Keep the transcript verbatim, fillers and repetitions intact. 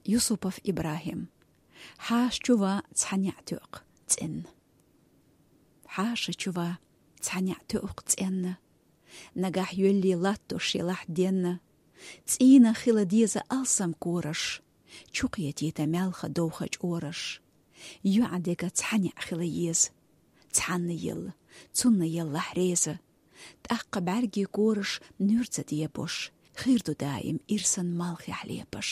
Юсупов Ибрахим. Хьаша чу ван цхьа неӀ тоькъу цӀенна. Хьаша чу ван цхьа неӀ тоькъу цӀенна. Нагахь йоьллий латтош елахь денна. ЦӀийнах хила деза алсам кораш. Чу кхетийта маьлха довха чӀораш. ЙоӀ дега цхьа неӀ хила еза. Цхьанна елла, цунна еллахь реза. ТӀаккха бӀаьргийн кораш нуьрца дебош. Хир ду даим ирсан малхехь лепаш.